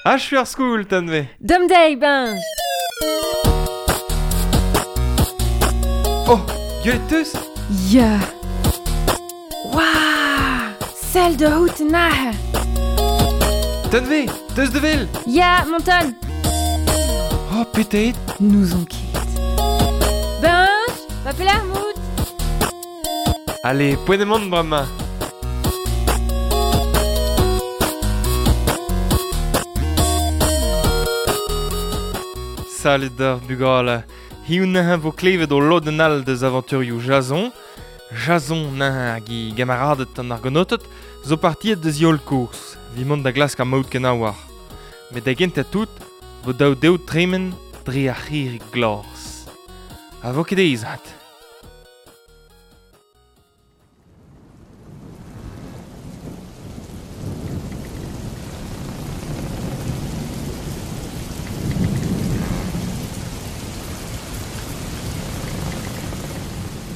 Achu ar skol, Tanve. Dom dezhi, Benj. Oh, gwelet teus? Ya. Waouh Sell da out aze. Tanve, teus da wel? Ya, Monton. Oh, petet. N'ouzon ket. Benj, va pelec'h 'mout? Allez, poent emaon bremañ. Salud d'ar bugale. Hiziv neuze vo klevet o lodenn all deus avanturioù Jason. Jason neuze hag e gamaraded an Argonoted zo partiet deus e holl kourz evit mont da glask ar maout kenaouar. Met da gentañ tout vo dav dezho tremen dre ar c'hirri glas. Ha vo ket aes 'vat.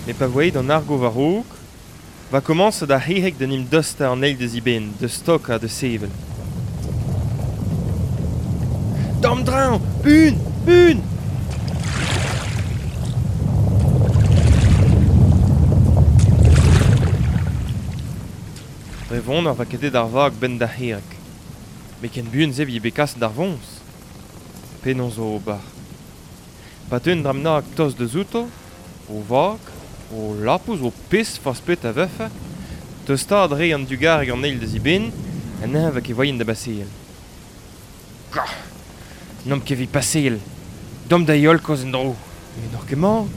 Met pa voe an argo war-raok, va komañset ar c'herreg d'en em dostañ an eil deus eben, da stokañ, da sevel. D'am draoñ! Buan! Buan! Dre vonner 'oa ket aet ar vag 'benn d'ar c'herreg. Met ken buan-se 'vije bet kaset d'ar voñs. Penaos ober? Pa teu un dra bennak tost deus outo, o vag, o lapous, o pesk forzh petra a vefe, tostaat 'rae an dugareg an eil deus eben, ha neuze 'oa ket voaien da baseal. Gah! N'omp ket evit paseal. Deomp da heol kozh en-dro. Met n'oc'h ket mat.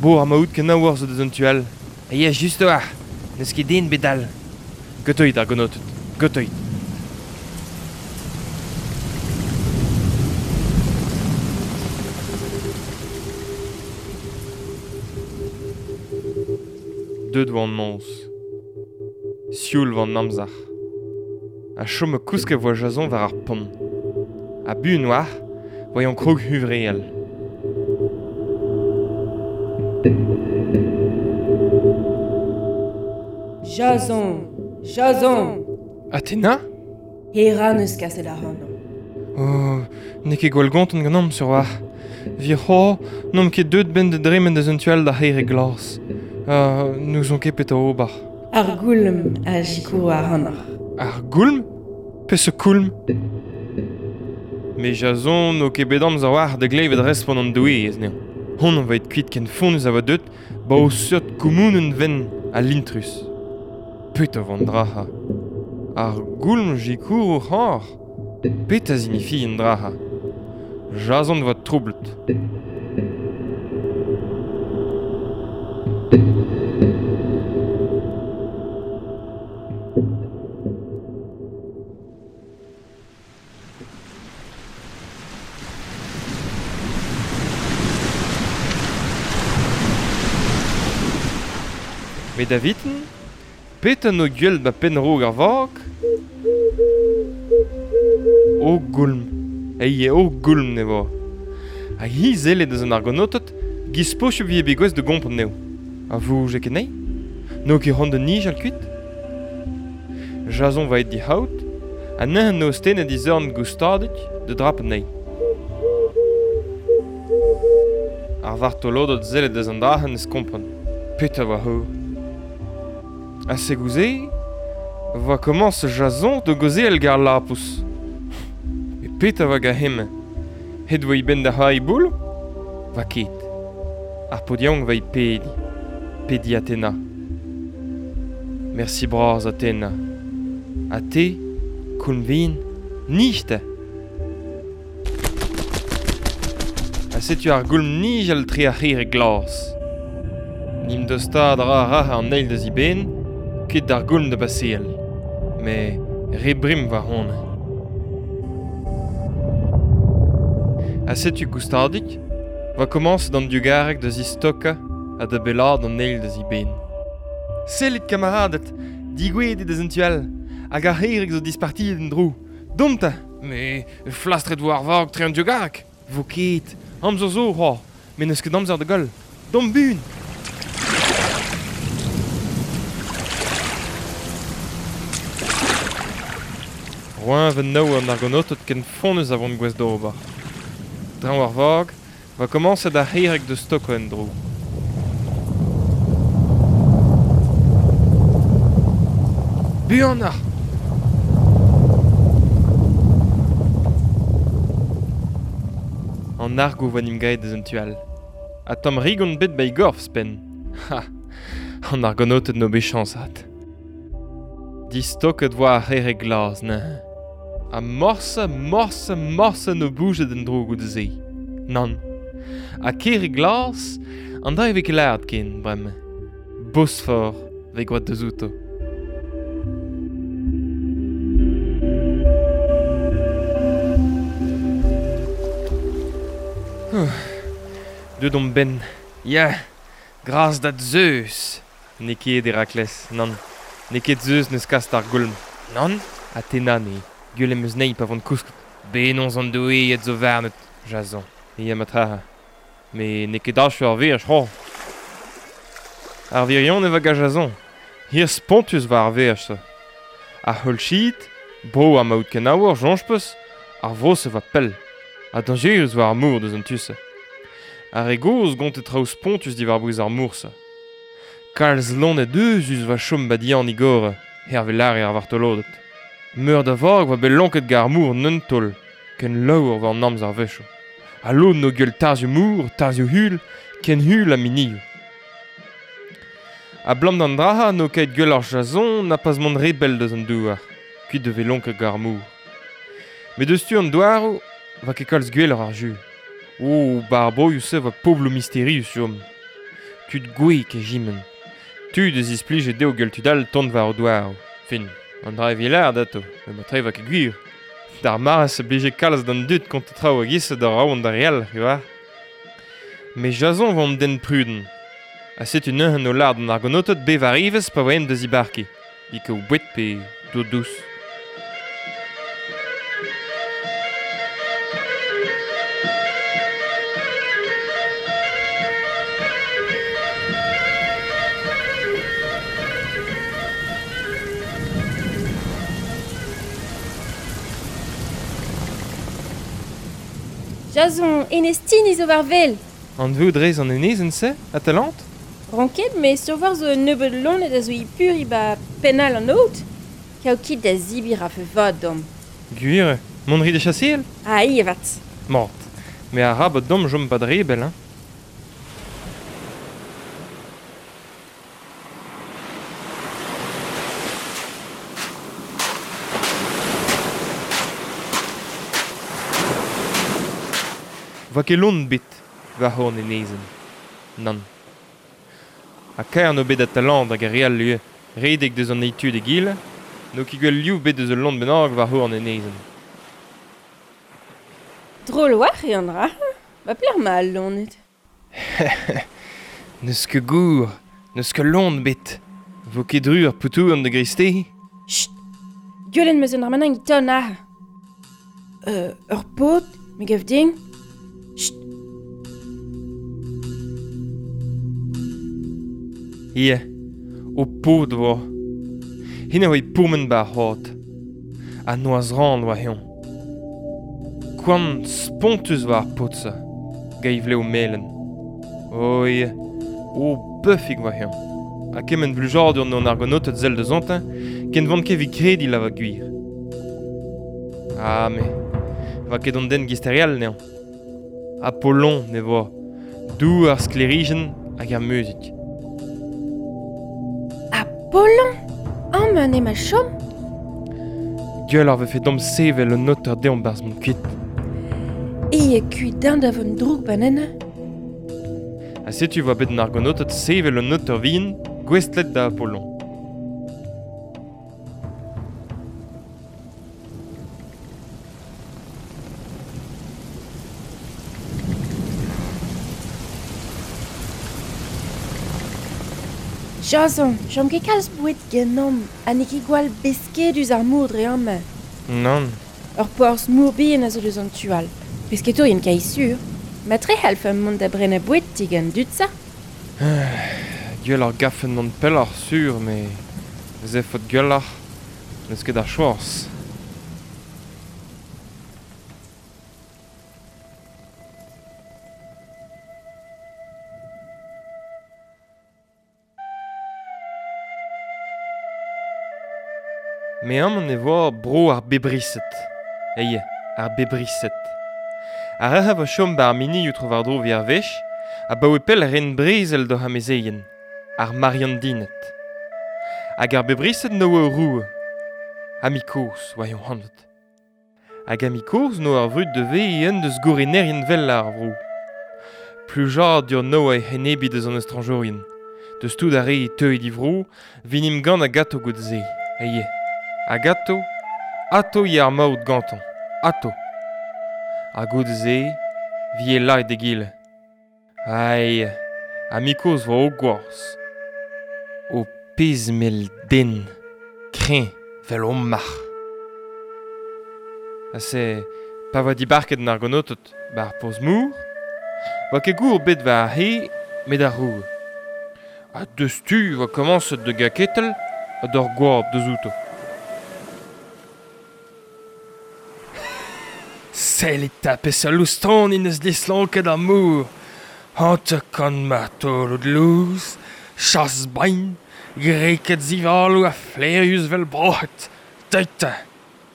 Bo ar maout kenaouer zo deus an tu all. A ya just a-walc'h, n'eus ket den bet all. Gotoit ar gonoted, gotoit. Deuet 'oa an noz. Sioul 'oa an amzer. Ha chom kousket 'voa Jason war ar pont. Ha buan 'oar, 'voa eñ krog huñvreal. Jason! Jason! Athena? Hera 'neus kaset ac'hanomp. Oh, n'eo ket gwall gontant ganeomp sur 'walc'h. Evit c'hoazh n'omp ket deuet 'benn da dremen deus un tu all d'ar c'herreg glas. N'ouzon ket petra ober. Ar goulm a sikouro ac'hanoc'h. Ar goulm? Peseurt koulm? Me Jason n'o ket bet amzer a-walc'h da glevet respont an doueez anezhañ. Hon on vaet kuit ken fonnus a oa deuet 'ba o seurt koumounenn wenn ha lintrus. Petra 'vo an dra-se? Ar goulm 'sikouro ac'hanoc'h? Petra 'zinifi an dra-se? Jason 'oa troublet. Met da viten, petra 'no gwell 'ba penn-raok ar vag? O goulm, eie o goulm ne vo. Hag hi sellet eus an argonoted, 'giz posupl 'vije bet gouest da gompren anezho. A vouge ket anezhi? N'eo ket c'hoant da nijal kuit? Jason 'oa aet d'he c'haout, ha neuze 'no stennet e zorn goustadik da drap anezhi. Ar vartoloded sellet eus an dra-se 'neus kompren. Petra 'oa c'hoazh? Ha segoù-se 'voa komañs Jason da gaozeal gant ar lapous. Met petra 'oa gant hemañ? Het 'oa e benn da c'hoari boul? 'Oa ket. Ar paotr yaouank 'oa e pediñ. Pediñ Athena. Mersi bras Athena. Ha te, koulm vihan, nij 'ta! Ha setu ar goulm nijal tre ar c'herreg glas. N'em dostaat a ra rac'h an eil deus e benn, ket d'ar goulm da baseal. Met re brim war honnezh. Ha setu goustadik, 'oa komañset an diougareg da zistokañ ha da bellaat an eil deus e benn. Sellit kamaraded, digouezhet eo deus an tu all, hag ar c'herreg zo dispartiet en-dro. Domp 'ta! Mais flastret 'vo ar vag tre an diougareg. Vo ket, amzer zo c'hoazh, met n'eus ket amzer da goll. Domp buan! Roeñv naou an argonoted ken fonnus a vont gouest d'ober. Draoñ ar vag, va komañset ar c'herreg da stokañ en-dro. Buanoc'h ! An argo 'voa 'n em gaet deus an tu all. Ha tamm rigon bet 'ba e gorf 'zhpenn. Ha an argonoted 'no bet chañs 'vat. Distoket 'voa ar c'herreg glas neuze. Ha morse, morse, morse 'no boujet en-dro goude-se. Nann. Ha kerreg glas, an dra e vez ket lâret ken bremañ. Bosfor 'vez gwraet deuzouto. Deuet omp 'benn. Ya, gras da Zeus! N'eo ket Herakles, nann. N'eo ket Zeus 'neus kaset ar goulm. Nann, Athena n'eo. Gwell em eus anezhi pa vont kousket. Bennozh an doueed zo warnout, Jason. Ya, matra. Met n'eo ket achu ar veaj, c'hoazh. Ar wirionez 'va gant Jason. Hir spontus 'va ar veaj-se. Ar c'holchid, bro ar maout kenaouer, soñj 'peus, ar vro-se 'va pell. Ha dañjerus 'oa ar mor deus an tu-se. Ar re gozh 'gonte traoù spontus diwar-bouez ar mor-se. Kalz loened euzhus 'oa chom 'ba dihan igor, hervez lâre ar vartoloded. Meur da vag 'oa bet lonket gant ar mor en un taol, ken laour 'oa an amzer a-wechoù. Ha lod 'no gwell tarzhioù-mor, tarzhioù-hul, ken hul ha minioù. Abalamour d'an dra-se n'eo ket gwelloc'h Jason na pas mont re bell deus an douar, kuit da vezañ lonket gant ar mor. Met eus tu an douaroù 'va ket kalz gwelloc'h ar jeu. O, 'ba ar broioù-se 'oa pobloù misterius chom. Tud gouez kejiment. Tud a zisplije dezho gwell tud all tont war o douaroù. Fin, an dra evit lâret atav, met matre 'oa ket gwir. D'ar mare-se 'blije kalz d'an dud kontañ traoù a-giz-se da raok d'ar re all, c'hwi 'oar. Met Jason 'oa an den prudent. Ha setu neuze o lâret d'an argonoted bevañ ivez pa oaent da zibarkiñ, evit kaout boued pe dour dous. Jason, Enez Tini zo war wel. Anveout 'rez an enezenn-se, Atalante? Ran ket, met sur zo un nebeud loened a zo e puriñ 'ba penn all an aod. Kaout ket da zebriñ 'rafe vat deomp. Gwir eo. Mont 'rit da chaseal? Ah, ivez avat. Mat. Met arabat deomp chom 'pad re bell, hein. 'Voa ket loen ebet war c'horn enezenn. Nann. Ha kaer 'no bet Atalante hag ar re all ivez redek deus an eil tu d'egile, n'eo ket gwell liv bet deus ul loen bennak war c'horn enezenn. Drol a-walc'h eo an dra. Ba pelec'h emañ al loened? N'eus ket gour, n'eus ket loen ebet. Vo ket dru ar poutouenn da greisteiz? Chut! Gwelet 'm eus un dra bennak e-tal aze. Ur paotr, me gav din. Chut! Ya, ho paotr 'oa. Hennezh a oa e pourmen 'ba ar c'hoad. Ha noazh-ran 'oa eñ. Koant spontus 'oa ar paotr-se, gant e vlev melen. Oh ya, oh beufig 'oa eñ. Ha kement blijadur 'noa an argonoted sell deus-ontañ ken 'vont ket evit krediñ lavar gwir. Ah me, 'oa ket an den 'giz ar re all anezhañ. Apollon ne voa, doue ar sklêrijenn hag ar muzik. Apollon Amañ emañ chom? Gwelloc'h 'vefe deomp sevel un noter deomp 'barzh mont kuit. E kuit dañ da vont drouk banennañ. Ha setu 'oa bet an argonoted sevel un noter vihan gouestlet da Apollon. Jason, chom ket kalz boued ganeomp ha n'eo ket gwall beskedus ar mor dre amañ. Nann. Ur porzh mor bihan a zo deus an tu all. Pesketourien kae sur. Matre c'hallfemp mont da brenañ boued digant dud-se. Gwelloc'h 'gavfen mont pelloc'h sur, met ez efot gwelloc'h n'eus ket ar choaz. Me amañ e vo bro ar bebrised. Eie, ar bebrised. Ar re a vo chom ba ar mini tro war-dro vi ar wech, a baoe pell ren brezel d'oc'h amezeien, ar Mariandinet. Hag ar bebrised no eo roue. Amikoz, oa yon hanvet. Hag amikoz no ar vrud de ve un deus gourinerien vel ar vro. Plujadur no e henebi deus an estranjourien. Deus tout ar re teuet di vro, vinim gant a gato gout ze. Eie. A gato, ato ye ar maout ganton. Ato. A gout ze, vi e laet de gile. Ai, amikoz vo o gwarz. O pezh mel den, kreñv vel o marc'h. Ha se, pa voa dibarket an argonoted bar porzh-mor, voa ket gour bet war ar c'he, met ar roue. Ha deus tu voa komañset da gaketel ha d'ur goab deus outo. Sellit 'ta peseurt loustoni 'neus dislonket ar mor. 50 martolod lous, chas brein, greked zivaloù ha flaerius 'vel broc'hed. Deuit 'ta.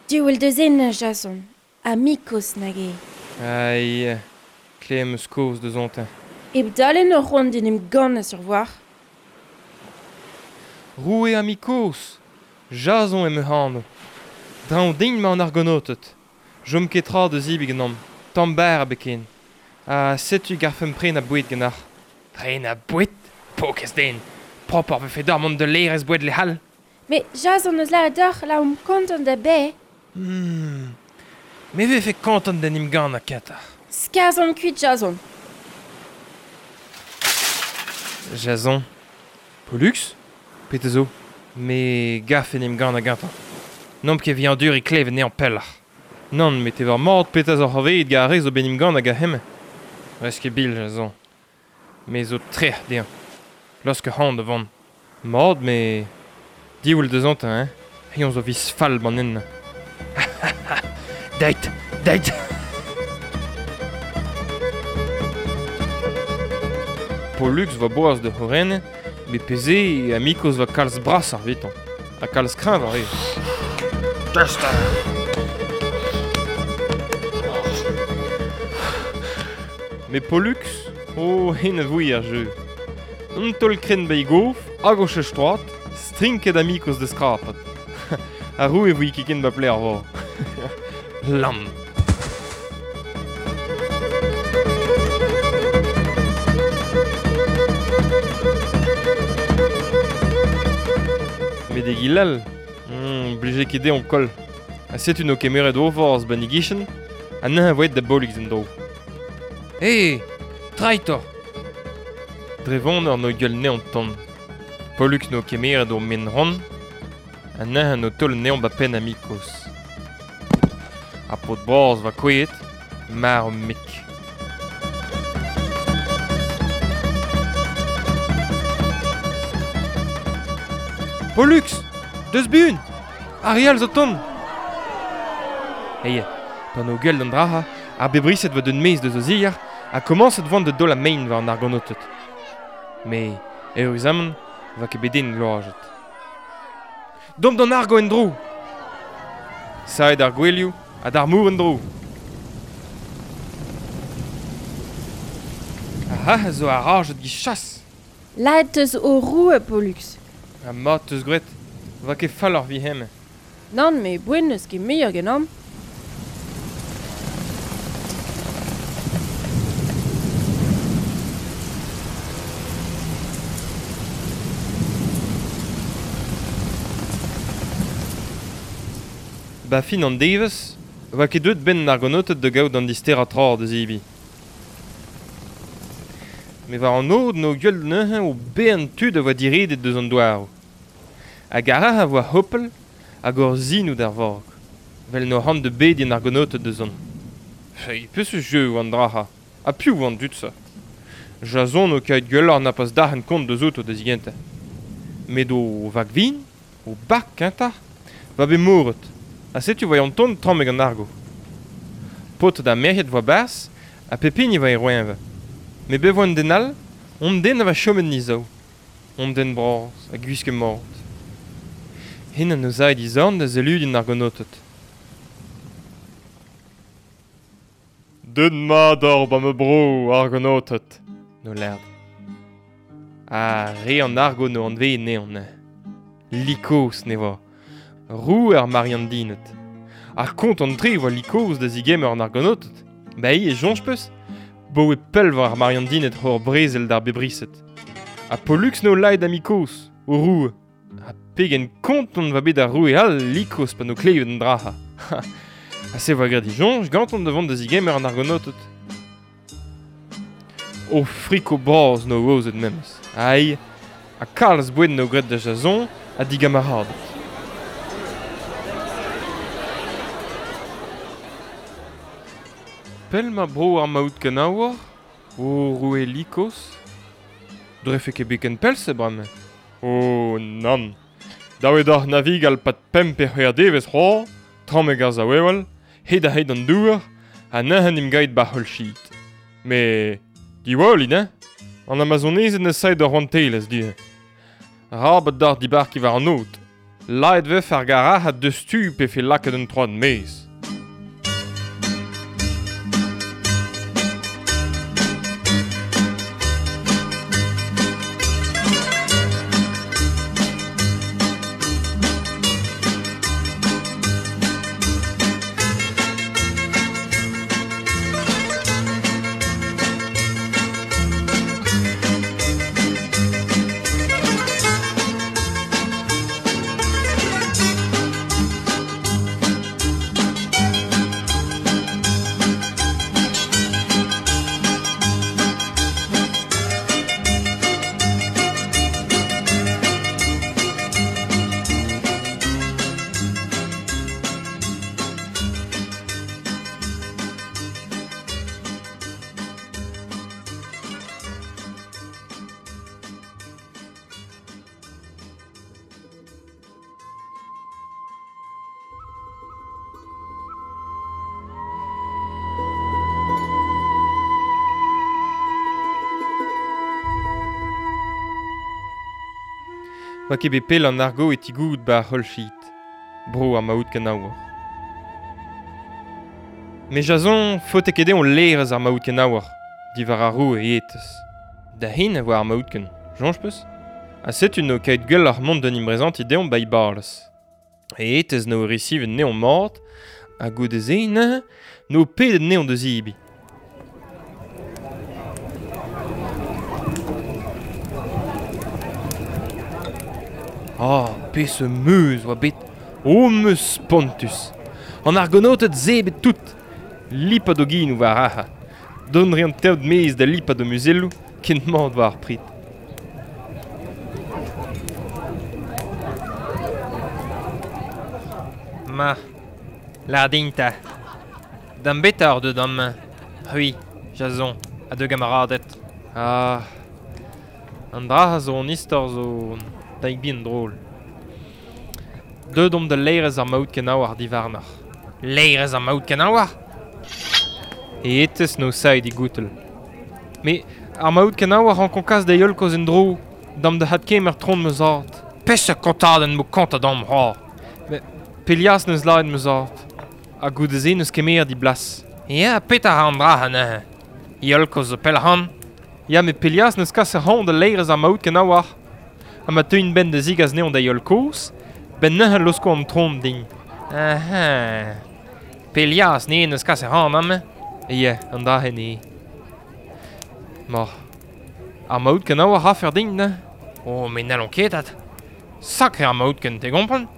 Diwall deus en, Jason. Amikos nag eo. Ai, klevet 'm eus kaoz deus ontañ. Hep dale ur c'hoant d'en em gannañ sur voir. Roue Amikos, Jason eo ma anv. Draoñ din 'mañ an argonoted. Chom ket tra da zebriñ ganeomp, tamm berr ebet ken. Ha setu garfemp prenañ boued ganeoc'h. Prenañ boued? Paourkaezh den! Propoc'h 'vefe deoc'h mont da laerezh boued lec'h all. Met Jason eus lâret deoc'h la omp kontant da baeañ. Me 'vefe kontant d'en em gannañ kentoc'h. Skarzhomp kuit Jason. Jason. Pollux? Petra zo? Me 'garfe en em gannañ gantañ. N'omp ket evit anduriñ klevet anezhañ pelloc'h. Nann, met e oa mat petra zo c'hoarvezet gant ar re zo bet en em gannañ gant hemañ. Rez ket bil, Jason. Me zo trec'h dezhañ. Laosk ac'hann da vont. Mat, met diwall dezhañ hein. Eñ zo viz fall ban ennañ. Deuit, deuit! Pollux 'voa boas da c'hourennañ, met pezh eo Amikoz 'voa kalz brasoc'h evitañ, ha kalz kreñvoc'h ivez. Deus 'ta! Met Pollux, oh, hen a voe ar jeu. Un taol krenn ba e gof, hag o cheñch troad, strinket Amikoz da skrapat. Ar roue e voe ket ken ba pleg ar vor. Lamm. Met egile all, blije ket dezhañ koll. Ha setu n'o kemeret o forzh 'ba 'n e gichen, ha neuze 'voe da Bolux en-dro. Eh, traitor! Dre voneur n'o gwell 'nezhañ tamm. Pollux n'o kemeret o men-ran, ha neuze n'o taol anezhañ 'ba penn Amikoz. Ar paotr bras 'oa kouezhet, marv-mik. Pollux, deus buan! Ar re all zo 'tont! Eie, pa 'no gwellet an dra-se, ar bebrised 'oa deuet maez deus o zier ha komañset 'voant da daol mein war an argonoted. Met eüruzamant 'oa ket bet den gloazet. Domp d'an argo en-dro! Savet ar gouelioù ha d'ar mor en-dro! Ar c'hac'h a zo arajet giz chas! Lâret 'teus ho roue, Pollux. Ha mat 'teus graet, 'oa ket falloc'h evit hemañ. Nann, met boen n'eus ket muioc'h ganeomp. Ba fin an devezh 'oa ket deuet 'benn an argonoted da gaout an disterañ tra da zebriñ. Met war an aod 'no gwellet neuze o bern tud a oa diredet deus an douaroù. Hag ar re a voa hopal hag hor sinoù d'ar vag, 'vel 'no c'hoant da bediñ an argonoted da zont. Feiz, peseurt jeu 'oa an dra-se? Ha piv 'oa an dud-se? Jason o kaout gwelloc'h na pas derc'hen kont deus outo da zigentañ. Met o vag vihan, o bag kentoc'h, 'oa bet moret, ha setu 'voa an ton tammig an argo. Paotred ha merc'hed 'voa 'barzh ha pep hini 'voa e roeñv. Met bet 'voa un den all, hon den a oa chomet 'n e sav. Hon den bras ha gwisket mat. Hen an eus aet izorn da zeludin argonotet. Deut mat or ba me bro argonotet, no lerd. Ha re an argo no anve neon. Likos ne vo. Roue ar Mariandinet. Ar kont an tre voa Likos da zigemer an argonotet. Ba e jonj peus, bo e pell war ar Mariandinet hor brezel d'ar bebriset. Ha Pollux no laet amikos, o roue. Ha pegen konton va bet ar roue all Likos pa no klevet an draha. Ha se voa graet dijonj ganton da vont da zigemer an argonotet. O friko bras no ozet memes. Ai, ha kalz boued no graet da Jason ha digamaradet. Pell ma bro ar maout kanaouor, o roue Likos, drefe ket beken pell se bremañ. Oh nann. Daouet ar navigal pat pemp e c'hwec'h devezh c'hoazh, tramm ar zaouewal, hed a hed an douar, ha neuze im gaet ba c'holl sheet. Me diwallin, hein? An Amazonezed ne saet ur rouantelezh du. Rabat d'ar dibarki war an aod. Laet vef ar garac'had deus tu pe fe lakaet un troad maez. Va ket bet pell an argo e tigout ba c'holl sheet. Bro ar maout kanaouor. Me Jason faote ket on lerez ar maout kanaouor, diwar ar roue e etez. Da hin a voa ar maout ken, jonj peus? Ha setu no kaet gwell ar mont d'un imbrezant deomp ba i barles. E etez no resivet neon mort, ha goude ze neuze, no pedet neon deus ibi. Ah, peseurt meuz oa bet, o meuz spontus. An argonotet zebet tout. Lipat o ginou war aha. Don re an teod mez da lipat o muzelloù, kent mat war ar prit. Ma, lardin ta. D'am bet ar deud am c'hwi, Jason, ha de gamaradet. Ah, an dra zo an istor zo taik bien drôle. Deud omp da leirez ar maout kenaouar divarnoc'h. Leirez ar maout kenaouar? E etez no saet i goutel. Me ar maout kenaouar an konkaz da yol koz en dro, dam da hat kemer tron me zart. Peseurt kontadenn mo kont dam ha. Me Pelias neus laet me zart. Ha goude se neus kemer di blas. Ya, petra an dra neuze. Yol koz zo pell han. Ya, me Pelias neus kas ar han da leirez ar maout kenaouar. Ha ma teuin ben da zigaz neon da yol koz, ben neuze losko an tron din. Aha. Pelias ne neus kas ar han am. Ya, an dra hen e. Ma. Ar maout kenaouar a fer din, ne? Oh, me n'allon ket at. Sakre ar maout ken te gompren.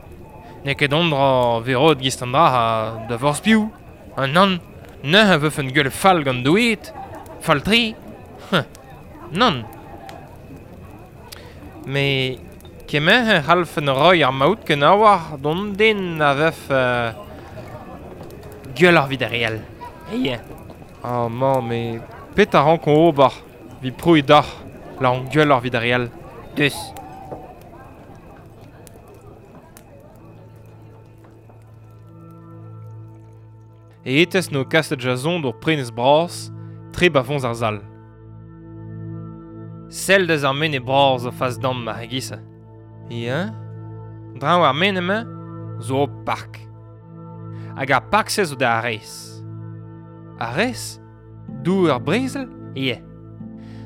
Ne ket on dra verod gist an dra ha da vorz piou. An nann, neuze veuf un gueul fall gant douet. Fall tri. Nann. Me kemer e c'hallfen roy ar maout kenaouar d'on den a vef gueul ar vid ar real. Eie. Ah, ma, me pet a rankon ober, vi pro e dac'h, la an gueul ar vid ar real. Deus. E etez no kaset Jason d'ur prenez bras, tre ba fonz ar zal. Sell deus ar mene bras o fas dam ma hegisa. Ya? Draoñ ar men zo ur park. Hag ar park-se zo da Ares. Ares? Dou ar brezel? Ie.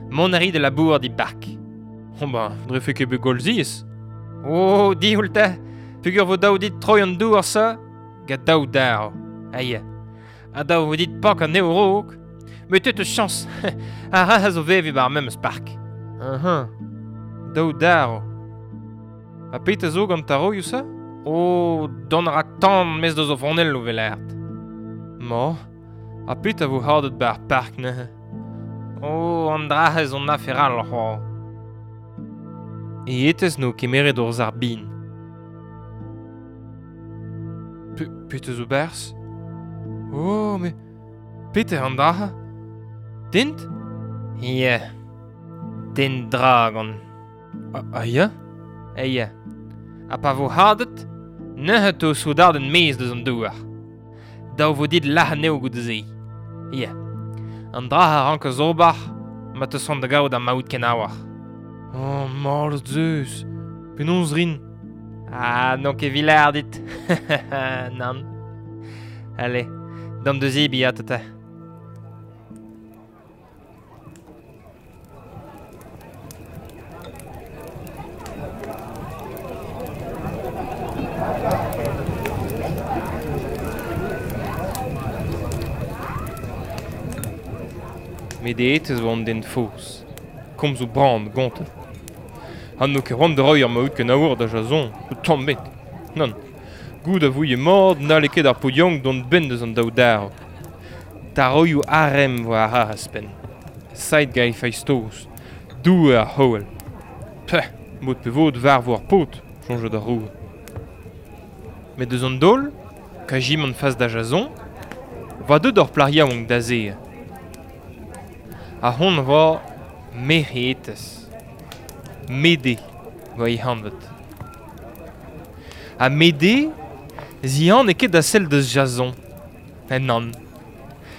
Mont a ri de labour di park. Oh ben, drefe ket bet gwall ziaes. Oh, dihoul te. Peogwir vo dav dit troiñ an dour sa, gant daou darv. Ha ya. Ha dav vo dit pak anezho raok. Met te 'teus chañs. Ar ra zo veviñ 'ba ar memes park. Aha. Daou darv. Ha petra zo gant taroioù-se? Oh, dont a ra tan 'maez deus o fronelloù 'vel lâret. Ma. Ha petra vo hadet 'ba ar park neuze? Oh, an dra-se zo un afer all c'hoazh. E etez 'no kemeret ur sarbin. Petra zo 'barzh? Oh, met petra an dra-se? Dent? Ya. Dent dragon. Ah ya? Eh ya. Ha pa vo hadet, neuze 'teu soudarded 'maez deus an douar. Dav vo dit lazhañ anezho goude-se. Ya. An dra a rankas ober ma 'teus c'hoant da gaout ar maout kenaouer. Oh, mallozh Zeus! Penaos 'rin? Ah, n'on ket evit lâr dit. Nann. Allez, dam da zebriñ ata. Met aet ez oa an den faos. Komzoù bran gontet. Ha n'o ket c'hoant da reiñ ar maout kenaour da Jason, tamm ebet. Nann. Goût a vouie mat n'halle ket ar paotr yaouank dont 'benn deus an daou darv. Taroioù arem 'vo ar c'harr ouzhpenn. Sailh gant he feiz-toz. Doue ar c'hoell. Peh, mod pe vod 'varvo ar paotr, soñje d'ar roue. Met deus an daol, kajimant fas da Jason, 'oa deuet ur plac'h yaouank da azezañ. Ahont 'oa merc'hetez. Mede 'oa he anvet. Ha Mede 'zihane ket da sell deus Jason. Nann.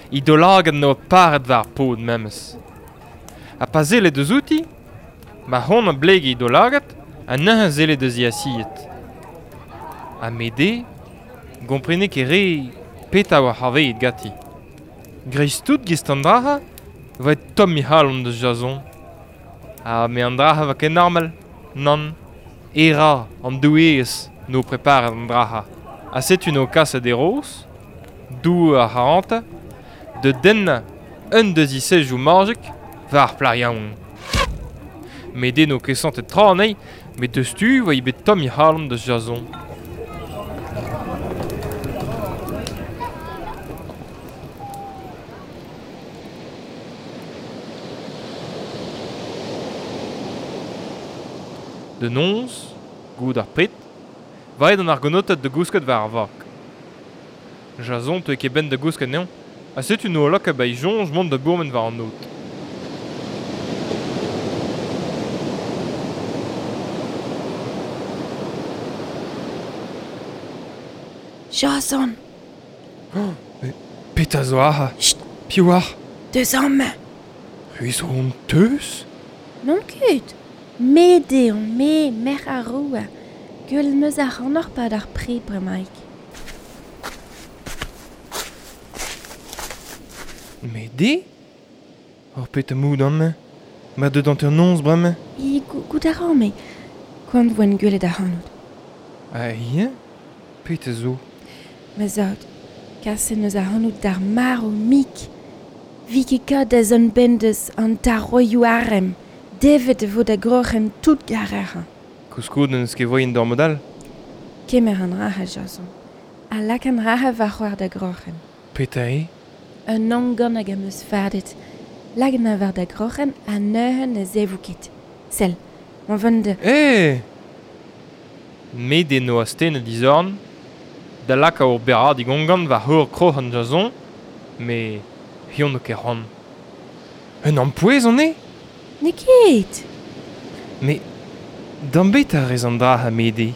He daoulagad 'noa paret war ar paotr memes. Ha pa selle deus outi, ma c'hoant a blege he daoulagad ha neuze 'selle deus he asied. Ha Mede 'gomprene ket re petra 'oa c'hoarvezet ganti. Dreist-tout 'giz an dra-se 'voe tomm he c'halon deus Jason. Ha me an dra-se 'oa ket normal, nann. Hera, an doueez, 'no preparet an dra-se. Ha setu 'no kaset Eros, doue ar c'harantez, da dennañ un deus he sezioù majik war ar plac'h yaouank. Met eno ket santet tra anezhi, met deus-tu 'oa bet tomm he c'halon da Jason. Da noz, goude ar pred, 'va aet an argonaoted da gousket war ar vag. Jason 'teue ket 'benn da gousket anezhañ ha setu 'noa lakaet 'ba e soñj mont da bourmen war an aod. Jason! Oh, met petra zo aze? Chut! Piv oc'h? Deus amañ! C'hwi zo an teuz? N'on ket. Me eo on-me, merc'h ar roue. Gwelet 'm eus ac'hanoc'h 'pad ar pred bremaik. Mede? Ur petra mout amañ? Ma deut hanternoz bremañ? E goût a ran, met koant 'voen gwelet ac'hanout. Ha eñ? Petra zo? Ma zad, kaset 'neus ac'hanout d'ar marv-mik. Vi ket kat da zont 'benn deus an taroioù arem. Devet e vo da groc'hen tout garec'hañ. Koulskoude n'eus ket voaien d'ur mod all. Kemer an rac'h, Jason, ha lak an rac'h war da groc'hen. Petra eo? Un angan hag am eus fardet. Lak anezhañ war da groc'hen ha neuze ne zevo ket. Sell, ma vont da... Eh! Met eno astennet e zorn da lakaat ur berradig ongan war heur kroc'hen Jason, met hiziv n'eo ket c'hoant. Un ampouez on eo? N'eo ket! Mais d'am bet a rez an dra ha Mede?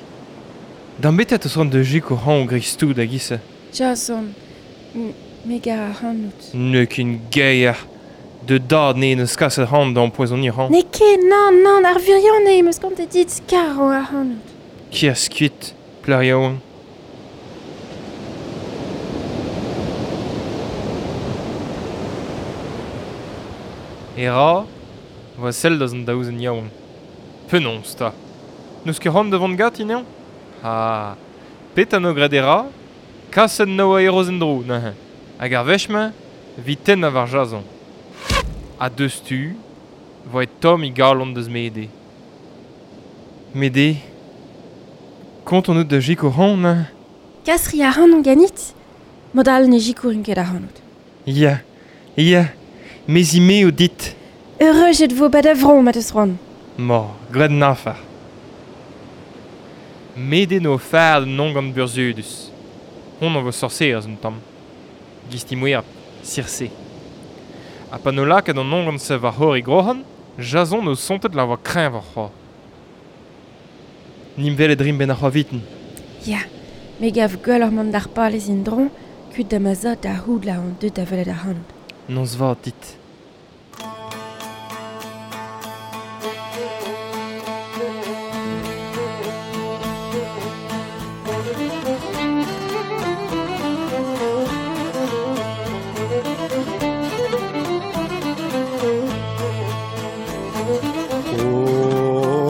D'am bet a teus c'hoant da sikour hañv greiz-tout a-giz-se? Jason, me gar ac'hanout. N'eo ket gaer. Da dad ne neus kaset c'hoant da ampoezoniñ ac'hann. N'eo ket, nann, nann, ar wirionez em eus kontet dit kar ac'hanout. Kerzh kuit, plac'h yaouank. Hera 'voa sell deus an daou zen yaouank. Penaos 'ta ? N'eus ket c'hoant da vont ganti anezhañ ? Ha petra 'no graet Hera ? Kaset 'no Eros en-dro neuze. Hag ar wech-mañ 'vit tennañ war Jason. Ha deustu 'voe tomm e galon deus Mede. Mede, kont on out da sikour c'hoant neuze ? Kas 'ri ac'hanon ganit ? Mod all ne sikourin ket ac'hanout. Ya, ya, me 'zimeo dit. Eureujet 'vo 'ba da vro ma 'teus c'hoant. Ma, graet an afer. Mede 'no fard un ongant burzhudus. Hon a vo sorserez un tamm. Gisti mouerb, Circé. Ha pa 'no lakaet an ongant-se war c'horre groc'han, Jason 'no sontet la voa kreñvoc'h c'hoazh. Nim welet 'rimp 'benn ar c'hoaviten. Ya, me 'gav gwelloc'h mont d'ar palez en-dro, kuit da ma zad da c'hoût la on deut da welet ac'hanout. Noz vat dit.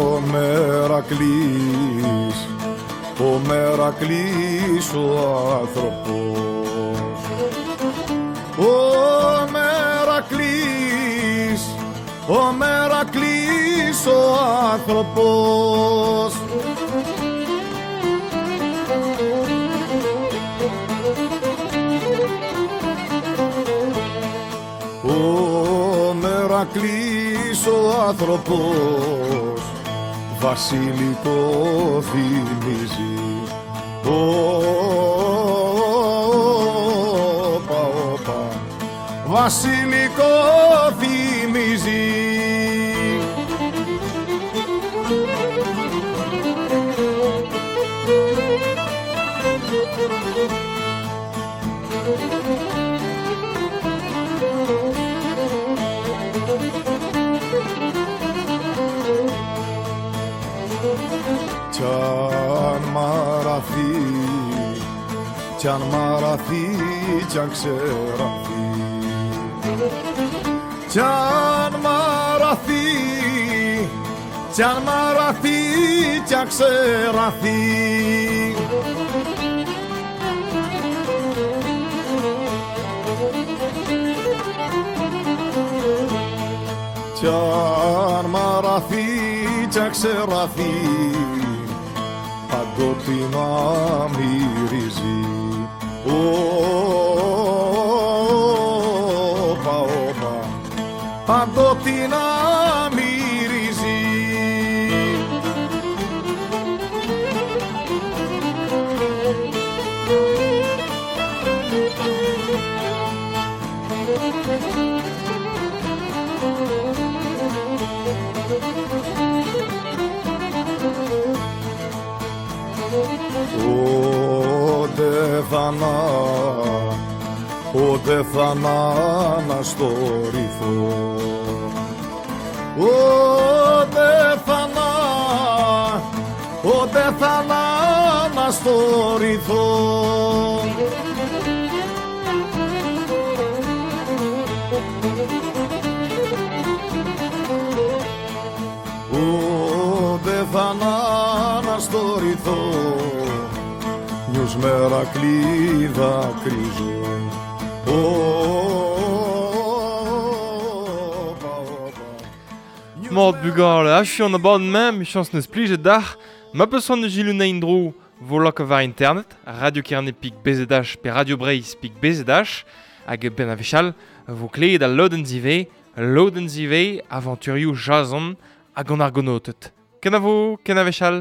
Ο Μερακλής, ο Μερακλής ο άνθρωπος. Ο Μερακλής, ο Μερακλής ο άνθρωπος. Ο Μερακλής ο άνθρωπος βασιλικό θυμίζει. Όπα, όπα, βασιλικό θυμίζει. Κι αν μαραθεί, κι αν μαραθεί, κι αν ξεραθεί. Κι αν μαραθεί, κι αν μαραθεί, κι αν ξεραθεί. Κι αν μαραθεί, κι αν ξεραθεί, παντότινα μυρίζει. Όπα, όπα, παντότινα μυρίζει. Ότε θανά, ότε θανά να στο ρυθό. Ότε θανά, ότε θανά να στο ρυθό. Ότε θανά να στο ρυθό, νιους Μερακλή δακρύζω. Όπα, όπα. Mat bugale, achu an abadenn-mañ, 'michañs 'neus plijet dac'h. Ma peus c'hoant da selaou anezhi en-dro 'vo lakaet war internet, radio Kerne pik BZH pe Radio Breizh pik BZH, hag benn a wech all 'vo klevet al lodenn zivez, lodenn zivez, avanturioù Jason hag an Argonaoted. Kenavo, ken a wech all.